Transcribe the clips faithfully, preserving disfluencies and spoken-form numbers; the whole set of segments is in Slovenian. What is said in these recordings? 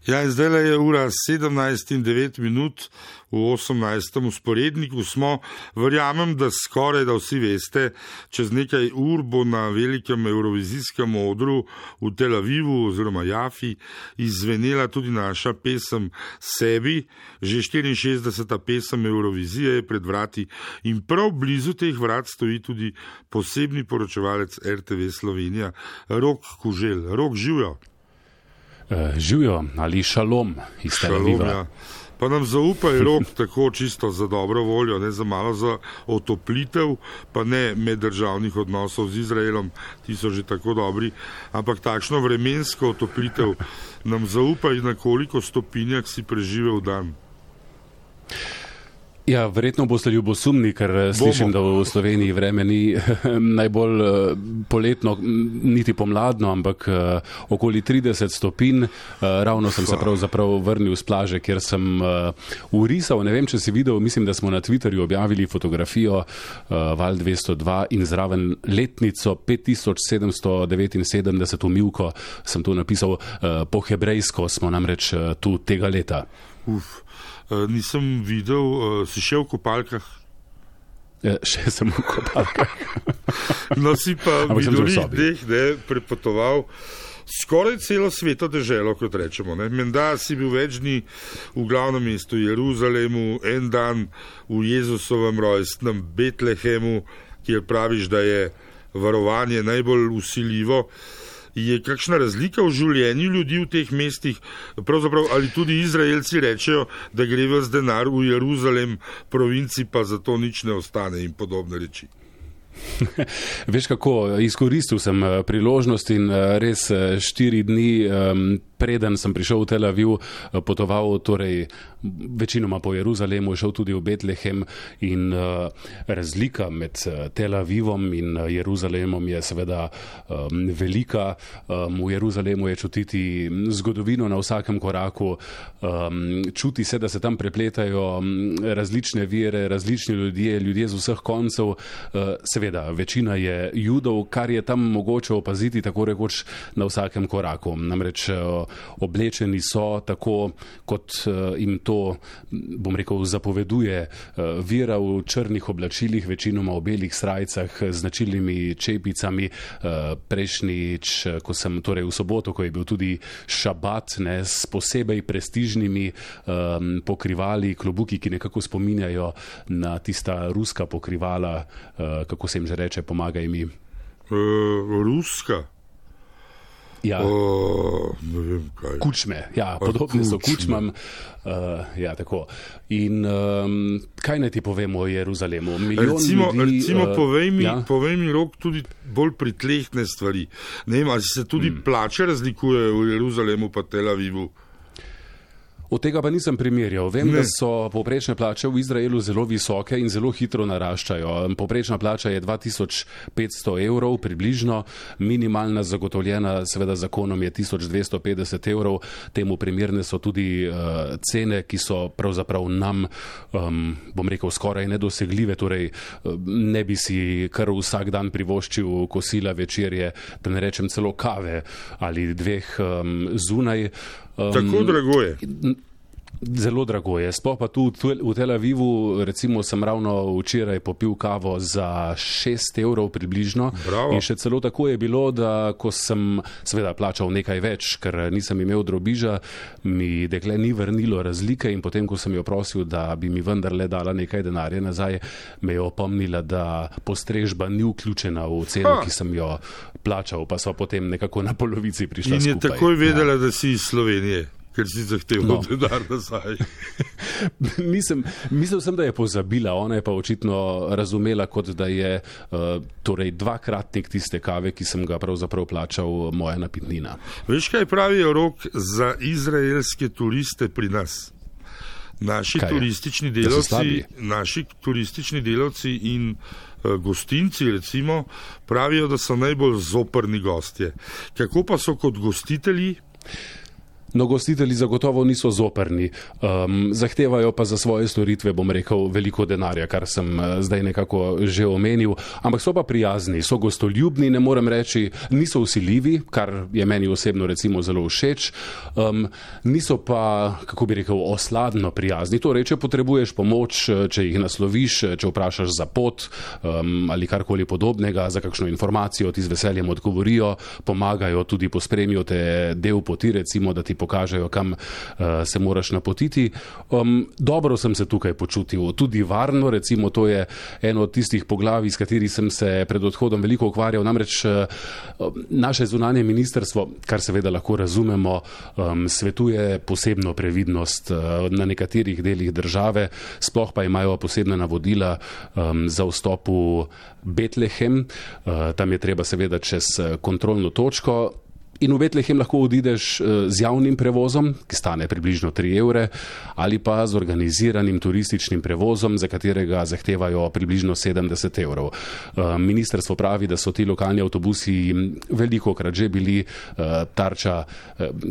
Ja, in zdaj je ura sedemnajst in devet minut, v osemnajstem usporedniku smo. Verjamem, da skoraj da vsi veste, čez nekaj ur bo na velikem evrovizijskem odru v Tel Avivu oziroma Jafi izvenela tudi naša pesem Sebi. Že štiriinšestdeseta pesem Evrovizije je pred vrati in prav blizu teh vrat stoji tudi posebni poročevalec R T V Slovenija, Rok Kuželj. Rok, živjo. Uh, živjo ali šalom iz Tel Aviva. Ja. Pa nam zaupaj, Rok, tako čisto za dobro voljo, ne za malo za otoplitev, pa ne meddržavnih odnosov z Izraelom, ti so že tako dobri, ampak takšno vremensko otoplitev nam zaupaj, na koliko stopinjah si preživel dan. Ja, verjetno boste ljubosumni, ker Bomo. slišim, da v Sloveniji vreme ni najbolj poletno, niti pomladno, ampak okoli trideset stopinj. Ravno sem se pravzaprav vrnil z plaže, kjer sem urisal, ne vem, če si videl, mislim, da smo na Twitterju objavili fotografijo Val dvesto dva in zraven letnico pet tisoč sedemsto devetinsedemdeset umivko sem tu napisal po hebrejsko, smo namreč tu tega leta. Uf. Uh, nisem videl, uh, si še v kopalkah? Ja, še sem v kopalkah. No, si pa v vidurih deh ne, prepotoval skoraj celo sveto deželo, kot rečemo. Ne. Menda si bil več dni v glavnem mestu Jeruzalemu, en dan v Jezusovem rojstnem Betlehemu, kjer praviš, da je varovanje najbolj vsiljivo. Je kakšna razlika v življenju ljudi v teh mestih? Pravzaprav ali tudi Izraelci rečejo, da gre ves denar v Jeruzalem, provinci pa zato nič ne ostane in podobne reči? Veš kako, izkoristil sem priložnost in res štiri dni preden sem prišel v Tel Aviv, potoval torej večinoma po Jeruzalemu, šel tudi v Betlehem in uh, razlika med Tel Avivom in Jeruzalemom je seveda um, velika. Um, v Jeruzalemu je čutiti zgodovino na vsakem koraku, um, čuti se, da se tam prepletajo različne vere, različni ljudje, ljudje z vseh koncev. Uh, seveda, večina je Judov, kar je tam mogoče opaziti tako rekoč na vsakem koraku. Namreč uh, oblečeni so tako, kot uh, jim to, bom rekel, zapoveduje uh, vera v črnih oblačilih, večinoma v belih srajcah, značilnimi čepicami. Uh, prejšnjič, ko sem, torej v soboto, ko je bil tudi šabat, ne, s posebej prestižnimi um, pokrivali, klobuki, ki nekako spominjajo na tista ruska pokrivala, uh, kako se jim že reče, pomagaj mi. Uh, ruska? Ja, o, ne vem kaj. Kučme, ja, podobne so kučmam. Uh, ja, tako. In um, kaj naj ti povemo o Jeruzalemu? Recimo, ljudi, recimo uh, povej mi, ja? povej mi, Rok, tudi bolj pritlehne stvari. Ne vem, ali se tudi hmm. plače razlikujejo v Jeruzalemu pa Tel Avivu? Od tega pa nisem primerjal. Vem, ne. da so povprečne plače v Izraelu zelo visoke in zelo hitro naraščajo. Povprečna plača je dva tisoč petsto evrov približno, minimalna zagotovljena seveda zakonom je tisoč dvesto petdeset evrov. Temu primerne so tudi uh, cene, ki so pravzaprav nam, um, bom rekel, skoraj nedosegljive. Torej, uh, ne bi si kar vsak dan privoščil kosila, večerje, da ne rečem celo kave ali dveh um, zunaj. Um, Tako drago je. Zelo drago je. Sploh pa tu v Tel Avivu, recimo sem ravno včeraj popil kavo za šest evrov približno. Bravo. In še celo tako je bilo, da ko sem seveda plačal nekaj več, ker nisem imel drobiža, mi dekle ni vrnilo razlike in potem, ko sem jo prosil, da bi mi vendarle dala nekaj denarja nazaj, me je opomnila, da postrežba ni vključena v ceno, ha. ki sem jo plačal, pa so potem nekako na polovici prišla skupaj. In je skupaj. Takoj vedela, ja. da si iz Slovenije. Ker si zahteval no. denar nazaj. Nisem, mislil sem, da je pozabila, ona je pa očitno razumela, kot da je uh, torej dvakratnik tiste kave, ki sem ga pravzaprav plačal, moja napitnina. Veš, kaj pravijo, Rok, za izraelske turiste pri nas? Naši kaj turistični delavci, naši turistični delavci in uh, gostinci, recimo, pravijo, da so najbolj zoprni gostje. Kako pa so kot gostitelji? No, gostitelji zagotovo niso zoprni, um, zahtevajo pa za svoje storitve, bom rekel, veliko denarja, kar sem uh, zdaj nekako že omenil, ampak so pa prijazni, so gostoljubni, ne morem reči, niso vsiljivi, kar je meni osebno recimo zelo všeč, um, niso pa, kako bi rekel, osladno prijazni. Torej, če potrebuješ pomoč, če jih nasloviš, če vprašaš za pot um, ali karkoli podobnega, za kakšno informacijo, ti z veseljem odgovorijo, pomagajo, tudi pospremijo te del poti, recimo, da ti pokažejo, kam uh, se moraš napotiti. Um, dobro sem se tukaj počutil, tudi varno, recimo, to je eno od tistih poglavij, s kateri sem se pred odhodom veliko ukvarjal, namreč uh, naše zunanje ministrstvo, kar seveda lahko razumemo, um, svetuje posebno previdnost uh, na nekaterih delih države, sploh pa imajo posebna navodila um, za vstop v Betlehem, uh, tam je treba seveda čez kontrolno točko. In v Betlehem lahko odideš z javnim prevozom, ki stane približno tri evre, ali pa z organiziranim turističnim prevozom, za katerega zahtevajo približno sedemdeset evrov. Ministrstvo pravi, da so ti lokalni avtobusi velikokrat že bili tarča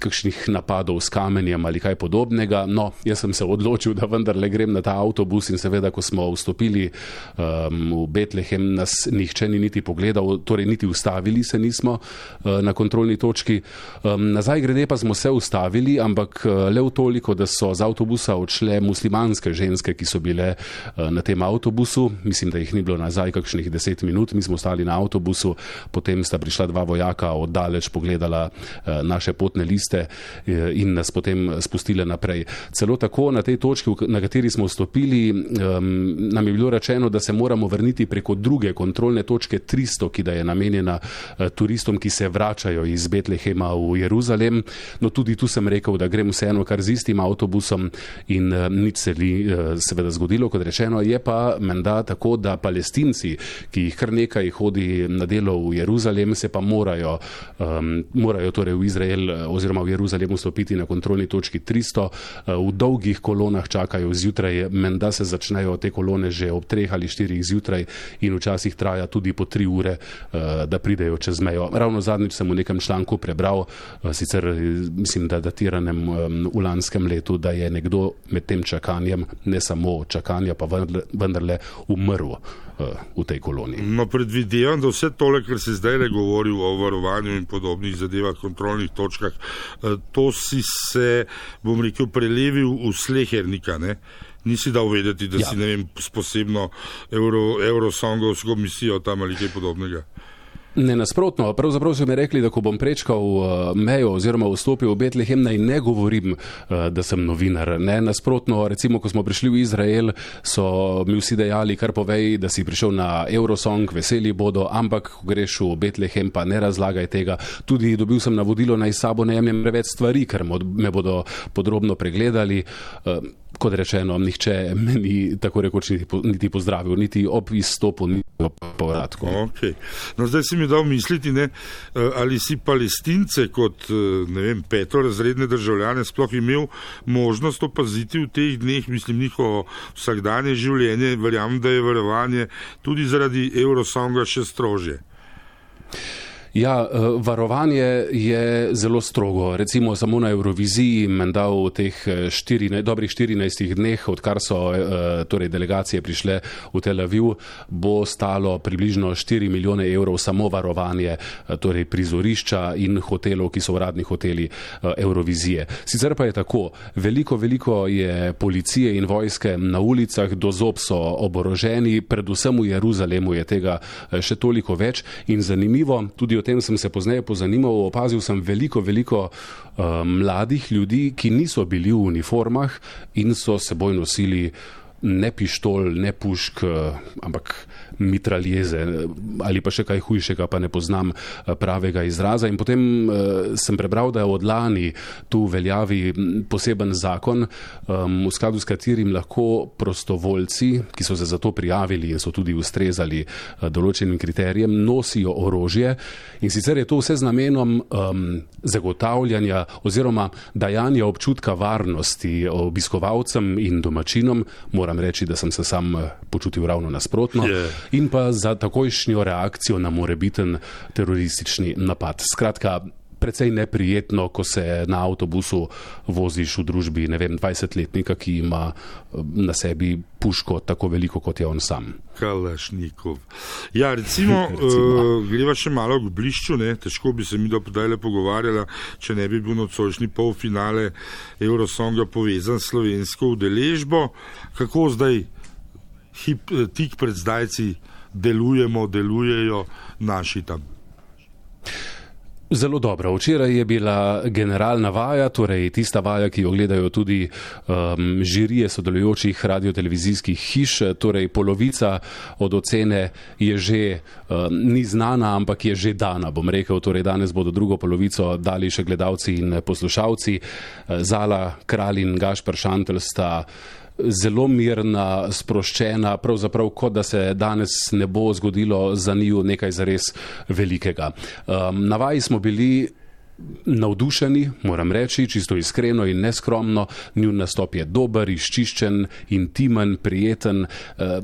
kakšnih napadov s kamenjem ali kaj podobnega. No, jaz sem se odločil, da vendarle grem na ta avtobus in seveda, ko smo vstopili um, v Betlehem, nas nihče ni niti pogledal, torej niti ustavili se nismo uh, na kontrolni točki. Um, nazaj grede pa smo se ustavili, ampak le v toliko, da so z avtobusa odšle muslimanske ženske, ki so bile uh, na tem avtobusu. Mislim, da jih ni bilo nazaj kakšnih deset minut. Mi smo stali na avtobusu, potem sta prišla dva vojaka, oddaleč pogledala uh, naše potne liste uh, in nas potem spustile naprej. Celo tako na tej točki, na kateri smo vstopili, um, nam je bilo rečeno, da se moramo vrniti preko druge kontrolne točke tristo, ki da je namenjena uh, turistom, ki se vračajo iz Betlehema v Jeruzalem. No, tudi tu sem rekel, da grem vseeno kar z istim avtobusom in uh, nič se li uh, seveda zgodilo, kot rečeno. Je pa menda tako, da Palestinci, ki jih kar nekaj hodi na delo v Jeruzalem, se pa morajo, um, morajo torej v Izrael oziroma v Jeruzalem vstopiti na kontrolni točki tristo. Uh, v dolgih kolonah čakajo zjutraj, menda se začnejo te kolone že ob treh ali štirih zjutraj in včasih traja tudi po tri ure, uh, da pridejo čez mejo. Ravno zadnjič sem v nekem članku prebral, sicer mislim, da datiranem v lanskem letu, da je nekdo med tem čakanjem, ne samo čakanja, pa vendarle umrl v tej koloniji. No, predvidevam, da vse tole, kar se zdaj le govori o varovanju in podobnih zadevah, kontrolnih točkah, to si se, bom rekel, prelevil v slehernika, ne? Nisi dal vedeti, da ja. si, ne vem, s posebno Euro, Eurosongovsko misijo tam ali kaj podobnega. Ne, nasprotno, pravzaprav so mi rekli, da ko bom prečkal mejo oziroma vstopil v Betlehem, naj ne govorim, da sem novinar. Ne, nasprotno, recimo, ko smo prišli v Izrael, so mi vsi dejali, kar povej, da si prišel na Eurosong, veseli bodo, ampak ko greš v Betlehem, pa ne razlagaj tega. Tudi dobil sem navodilo, naj sabo ne jemljem preveč stvari, ker me bodo podrobno pregledali. Kot rečeno, nihče me ni tako rekoč niti, niti pozdravil, niti ob izstopu, niti ob povratku. Okay. No, zdaj si mi dal misliti, ne, ali si Palestince kot, ne vem, petorazredne državljane sploh imel možnost opaziti v teh dneh, mislim, njihovo vsakdanje življenje, verjamem, da je varovanje tudi zaradi Eurosonga še strožje. Ja, varovanje je zelo strogo. Recimo samo na Euroviziji, menda v teh štirinajst, dobrih štirinajstih dneh, odkar so torej delegacije prišle v Tel Aviv, bo stalo približno štiri milijone evrov samo varovanje, torej prizorišča in hotelov, ki so uradni hoteli Eurovizije. Sicer pa je tako, veliko, veliko je policije in vojske na ulicah, do zob so oboroženi, predvsem v Jeruzalemu je tega še toliko več in zanimivo, tudi o tem sem se pozneje pozanimal, opazil sem veliko, veliko uh, mladih ljudi, ki niso bili v uniformah in so seboj nosili ne pištol, ne pušk, ampak mitraljeze ali pa še kaj hujšega, pa ne poznam pravega izraza. In potem uh, sem prebral, da je od lani tu veljavi poseben zakon, um, v skladu s katerim lahko prostovoljci, ki so se za to prijavili in so tudi ustrezali uh, določenim kriterijem, nosijo orožje. In sicer je to vse z namenom um, zagotavljanja oziroma dajanja občutka varnosti obiskovalcem in domačinom. Moram reči, da sem se sam počutil ravno nasprotno. Yeah. In pa za takojšnjo reakcijo na morebiten teroristični napad. Skratka, precej neprijetno, ko se na avtobusu voziš v družbi, ne vem, dvajsetletnika, ki ima na sebi puško tako veliko, kot je on sam. Kalašnikov. Ja, recimo, recimo. Uh, greva še malo k blišču, ne? Težko bi se mi do podajle pogovarjala, če ne bi bil nocojšnji polfinale Eurosonga povezan s slovensko udeležbo. Kako zdaj hip, tik pred zdajci delujemo, delujejo naši tam? Zelo dobro. Včeraj je bila generalna vaja, torej tista vaja, ki jo gledajo tudi um, žirije sodelujočih radiotelevizijskih hiš, torej polovica od ocene je že um, ni znana, ampak je že dana, bom rekel. Torej danes bodo drugo polovico dali še gledalci in poslušalci. Zala Kralj in Gašper Šantl sta zelo mirna, sproščena, pravzaprav kot da se danes ne bo zgodilo za njiju nekaj zares velikega. Um, na vaji smo bili navdušeni, moram reči, čisto iskreno in neskromno. Njun nastop je dober, izčiščen, intimen, prijeten. E,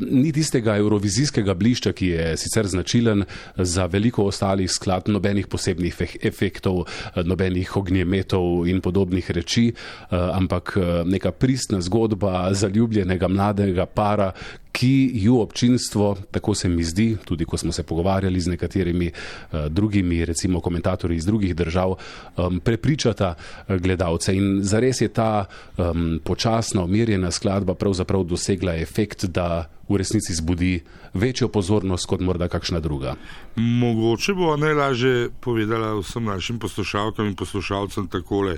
ni tistega evrovizijskega blišča, ki je sicer značilen za veliko ostalih skladb, nobenih posebnih efektov, nobenih ognjemetov in podobnih reči, e, ampak neka pristna zgodba zaljubljenega mladega para, ki ju občinstvo, tako se mi zdi, tudi ko smo se pogovarjali z nekaterimi uh, drugimi, recimo komentatorji iz drugih držav, um, prepričata gledalce. In zares je ta um, počasna, umirjena skladba pravzaprav dosegla efekt, da v resnici zbudi večjo pozornost kot morda kakšna druga. Mogoče bo najlažje povedala vsem našim poslušalkam in poslušalcem takole.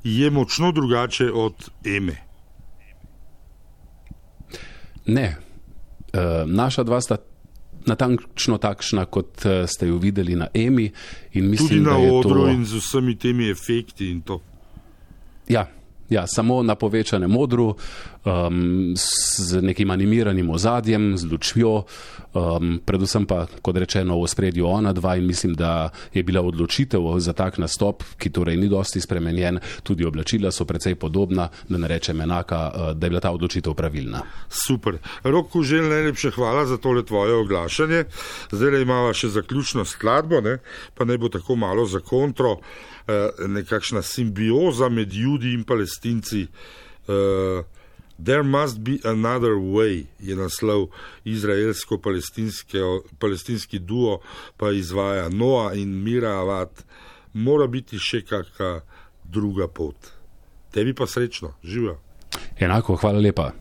Je močno drugače od Eme. Ne. E, naša dva sta natančno takšna, kot ste jo videli na Emi. In mislim, tudi na da je odru to... in z vsemi temi efekti in to. Ja, ja, samo na povečanem odru, um, z nekim animiranim ozadjem, z lučjo, um, predvsem pa, kot rečeno, v ospredju ona dva, in mislim, da je bila odločitev za tak nastop, ki torej ni dosti spremenjen, tudi oblačila so precej podobna, da ne rečem enaka, da je bila ta odločitev pravilna. Super. Rok Kuželj, najlepše hvala za tole tvoje oglašanje. Zdaj imava še zaključno skladbo, ne? Pa ne bo tako malo za kontro, nekakšna simbioza med Judi in Palestinci. Uh, There must be another way je naslov, izraelsko-palestinski duo pa izvaja Noa in Mira Avad. Mora biti še kakšna druga pot. Tebi pa srečno. Živjo. Enako, hvala lepa.